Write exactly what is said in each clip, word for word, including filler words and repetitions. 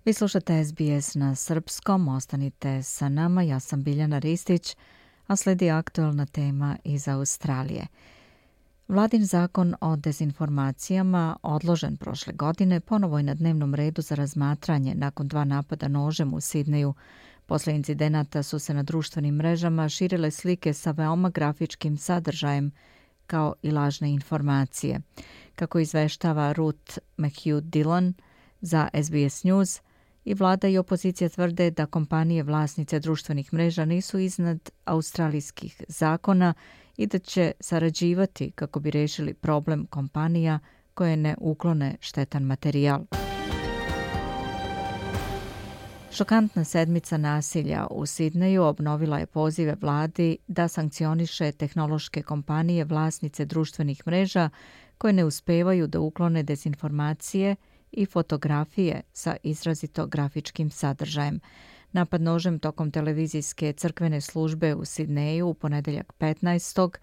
Vi slušate S B S na srpskom, ostanite sa nama, ja sam Biljana Ristić, a sledi aktualna tema iz Australije. Vladin zakon o dezinformacijama, odložen prošle godine, ponovo je na dnevnom redu za razmatranje nakon dva napada nožem u Sidneju. Posle incidenata su se na društvenim mrežama širile slike sa veoma grafičkim sadržajem, kao i lažne informacije. Kako izveštava Ruth McHugh-Dillon za S B S News, i vlada i opozicija tvrde da kompanije vlasnice društvenih mreža nisu iznad australijskih zakona i da će sarađivati kako bi rešili problem kompanija koje ne uklone štetan materijal. Šokantna sedmica nasilja u Sidneju obnovila je pozive vladi da sankcioniše tehnološke kompanije vlasnice društvenih mreža koje ne uspevaju da uklone dezinformacije i fotografije sa izrazito grafičkim sadržajem. Napad nožem tokom televizijske crkvene službe u Sidneju u ponedeljak petnaestog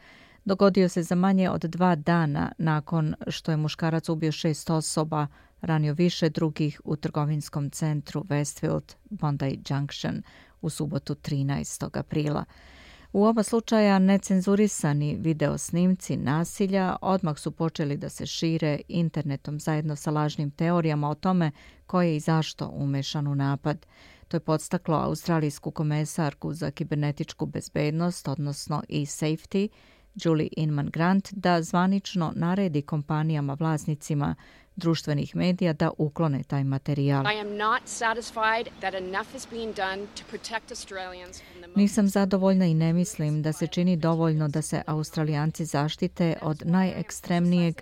dogodio se za manje od dva dana nakon što je muškarac ubio šest osoba, ranio više drugih u trgovinskom centru Westfield Bondi Junction u subotu trinaestog aprila. U oba slučaja necenzurisani video snimci nasilja odmah su počeli da se šire internetom zajedno sa lažnim teorijama o tome ko je i zašto umešan u napad. To je podstaklo australijsku komesarku za kibernetičku bezbednost, odnosno e-safety, Julie Inman-Grant, da zvanično naredi kompanijama vlasnicima društvenih medija da uklone taj materijal. Nisam zadovoljna i ne mislim da se čini dovoljno da se Australijanci zaštite od najekstremnijeg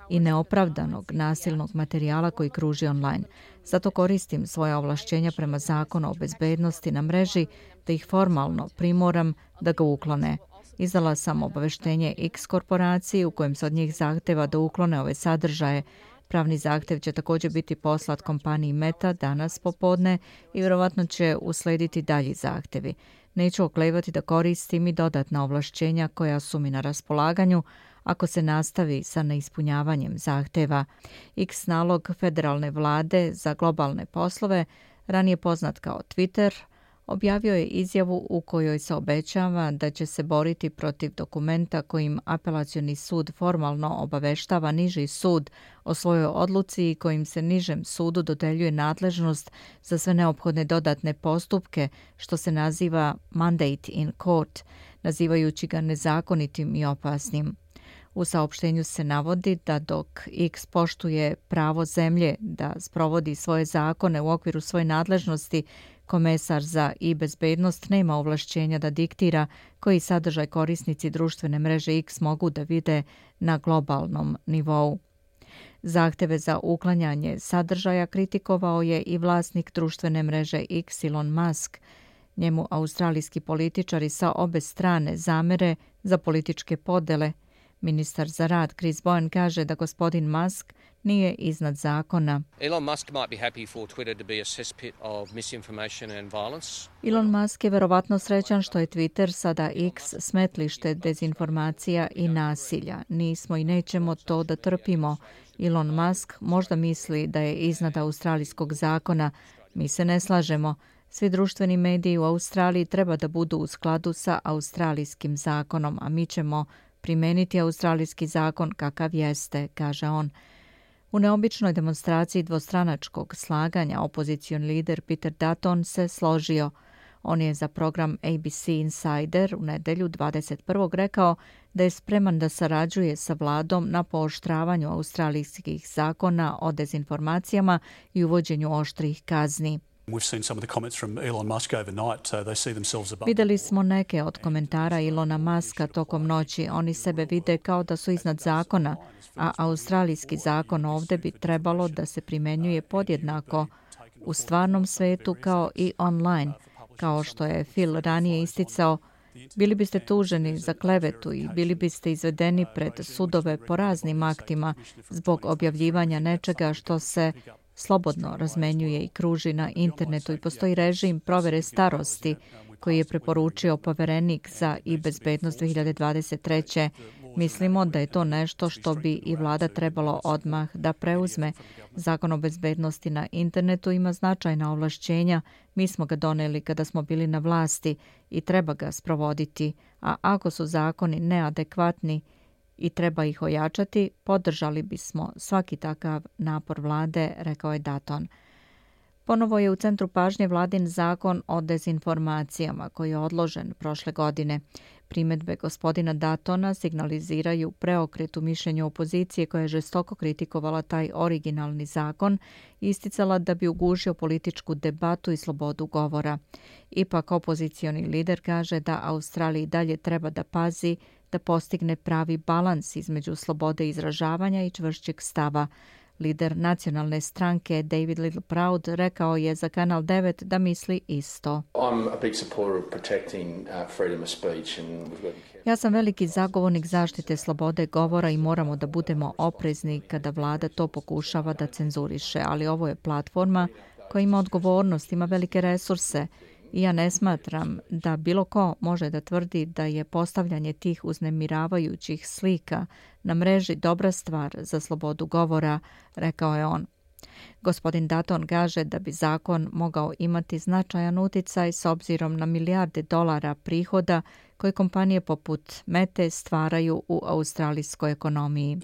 i neopravdanog nasilnog materijala koji kruži online. Zato koristim svoje ovlašćenja prema zakonu o bezbednosti na mreži da ih formalno primoram da ga uklone. Izdala sam obaveštenje X korporaciji u kojem se od njih zahteva da uklone ove sadržaje. Pravni zahtev će također biti poslat kompaniji Meta danas popodne i vjerovatno će uslediti dalji zahtevi. Neću oklevati da koristim i dodatna ovlašćenja koja su mi na raspolaganju ako se nastavi sa neispunjavanjem zahteva. X nalog federalne vlade za globalne poslove, ranije poznat kao Twitter, objavio je izjavu u kojoj se obećava da će se boriti protiv dokumenta kojim apelacioni sud formalno obaveštava niži sud o svojoj odluci i kojim se nižem sudu dodeljuje nadležnost za sve neophodne dodatne postupke, što se naziva mandate in court, nazivajući ga nezakonitim i opasnim. U saopštenju se navodi da dok X poštuje pravo zemlje da sprovodi svoje zakone u okviru svoje nadležnosti, komesar za e-bezbednost nema ovlašćenja da diktira koji sadržaj korisnici društvene mreže X mogu da vide na globalnom nivou. Zahteve za uklanjanje sadržaja kritikovao je i vlasnik društvene mreže X, Elon Musk. Njemu australijski političari sa obe strane zamere za političke podele. Ministar za rad Chris Bowen kaže da gospodin Musk nije iznad zakona. Elon Musk might be happy for Twitter to be a cesspit of misinformation and violence. Elon Musk je verovatno srećan što je Twitter sada X smetlište dezinformacija i nasilja. Nismo i nećemo to da trpimo. Elon Musk možda misli da je iznad australijskog zakona. Mi se ne slažemo. Svi društveni mediji u Australiji treba da budu u skladu sa australijskim zakonom, a mi ćemo primeniti australijski zakon kakav jeste, kaže on. U neobičnoj demonstraciji dvostranačkog slaganja opozicioni lider Peter Dutton se složio. On je za program A B C Insider u nedelju dvadeset prvog rekao da je spreman da sarađuje sa vladom na pooštravanju australijskih zakona o dezinformacijama i uvođenju oštrih kazni. Videli smo neke od komentara Elona Muska tokom noći. Oni sebe vide kao da su iznad zakona, a australijski zakon ovdje bi trebalo da se primenjuje podjednako u stvarnom svetu kao i online. Kao što je Phil ranije isticao, bili biste tuženi za klevetu i bili biste izvedeni pred sudove po raznim aktima zbog objavljivanja nečega što se slobodno razmenjuje i kruži na internetu i postoji režim provere starosti koji je preporučio poverenik za i bezbednost dve hiljade dvadeset treće. Mislimo da je to nešto što bi i vlada trebalo odmah da preuzme. Zakon o bezbednosti na internetu ima značajna ovlašćenja. Mi smo ga doneli kada smo bili na vlasti i treba ga sprovoditi. A ako su zakoni neadekvatni i treba ih ojačati, podržali bismo svaki takav napor vlade, rekao je Dutton. Ponovo je u centru pažnje vladin zakon o dezinformacijama koji je odložen prošle godine. Primedbe gospodina Duttona signaliziraju preokret u mišljenju opozicije koja je žestoko kritikovala taj originalni zakon i isticala da bi ugušio političku debatu i slobodu govora. Ipak opozicioni lider kaže da Australiji dalje treba da pazi da postigne pravi balans između slobode izražavanja i čvršćeg stava. Lider nacionalne stranke David Littleproud rekao je za Kanal devet da misli isto. Ja sam veliki zagovornik zaštite slobode govora i moramo da budemo oprezni kada vlada to pokušava da cenzuriše, ali ovo je platforma koja ima odgovornost, ima velike resurse. I ja ne smatram da bilo ko može da tvrdi da je postavljanje tih uznemiravajućih slika na mreži dobra stvar za slobodu govora, rekao je on. Gospodin Dutton kaže da bi zakon mogao imati značajan uticaj s obzirom na milijarde dolara prihoda koje kompanije poput Mete stvaraju u australijskoj ekonomiji.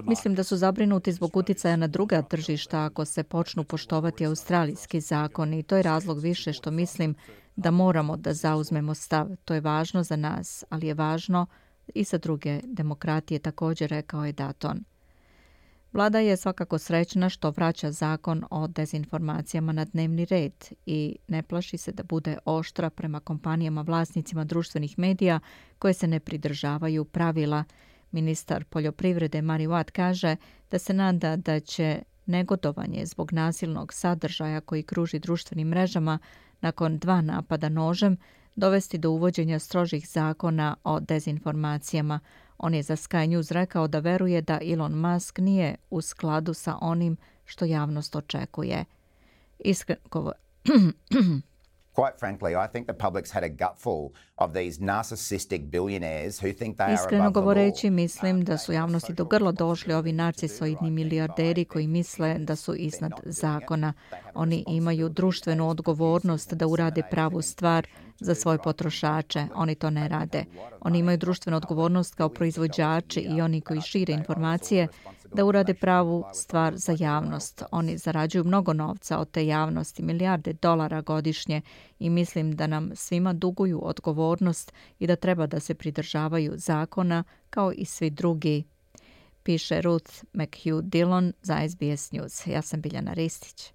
Mislim da su zabrinuti zbog uticaja na druga tržišta ako se počnu poštovati australijski zakoni i to je razlog više što mislim da moramo da zauzmemo stav. To je važno za nas, ali je važno i za druge demokratije, također rekao je Dutton. Vlada je svakako srećna što vraća zakon o dezinformacijama na dnevni red i ne plaši se da bude oštra prema kompanijama vlasnicima društvenih medija koje se ne pridržavaju pravila. Ministar poljoprivrede Mari Watt kaže da se nada da će negodovanje zbog nasilnog sadržaja koji kruži društvenim mrežama nakon dva napada nožem dovesti do uvođenja strožih zakona o dezinformacijama. On je za Sky News rekao da veruje da Elon Musk nije u skladu sa onim što javnost očekuje. Iskreno Quite frankly, I think the public's had a gutful of these narcissistic billionaires who think they are Iskreno above the law. govoreći, mislim da su javnosti do grlo došli ovi narcisoidni milijarderi koji misle da su iznad zakona. Oni imaju društvenu odgovornost da urade pravu stvar za svoje potrošače. Oni to ne rade. Oni imaju društvenu odgovornost kao proizvođači i oni koji šire informacije da urade pravu stvar za javnost. Oni zarađuju mnogo novca od te javnosti, milijarde dolara godišnje i mislim da nam svima duguju odgovornost i da treba da se pridržavaju zakona kao i svi drugi, piše Ruth McHugh Dillon za S B S News. Ja sam Biljana Ristić.